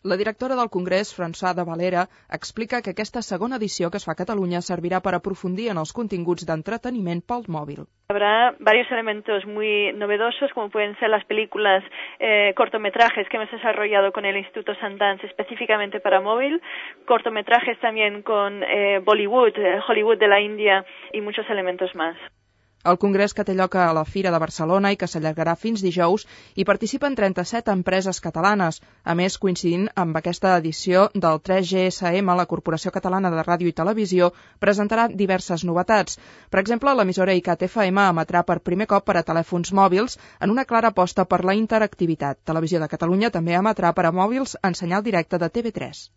La directora del Congrés, Françoise de Valera, explica que aquesta segona edició que es fa a Catalunya servirà per aprofundir en els continguts d'entreteniment pel mòbil. Habrá varios elementos muy novedosos, como pueden ser las películas, cortometrajes que hemos desarrollado con el Instituto Sundance específicamente para móvil, cortometrajes también con Bollywood, Hollywood de la India y muchos elementos más. El congrés que té lloc a la Fira de Barcelona i que s'allargarà fins dijous hi participen 37 empreses catalanes. A més, coincidint amb aquesta edició del 3GSM, la Corporació Catalana de Ràdio i Televisió presentarà diverses novetats. Per exemple, l'emissora ICAT-FM emetrà per primer cop per a telèfons mòbils en una clara aposta per la interactivitat. Televisió de Catalunya també emetrà per a mòbils en senyal directe de TV3.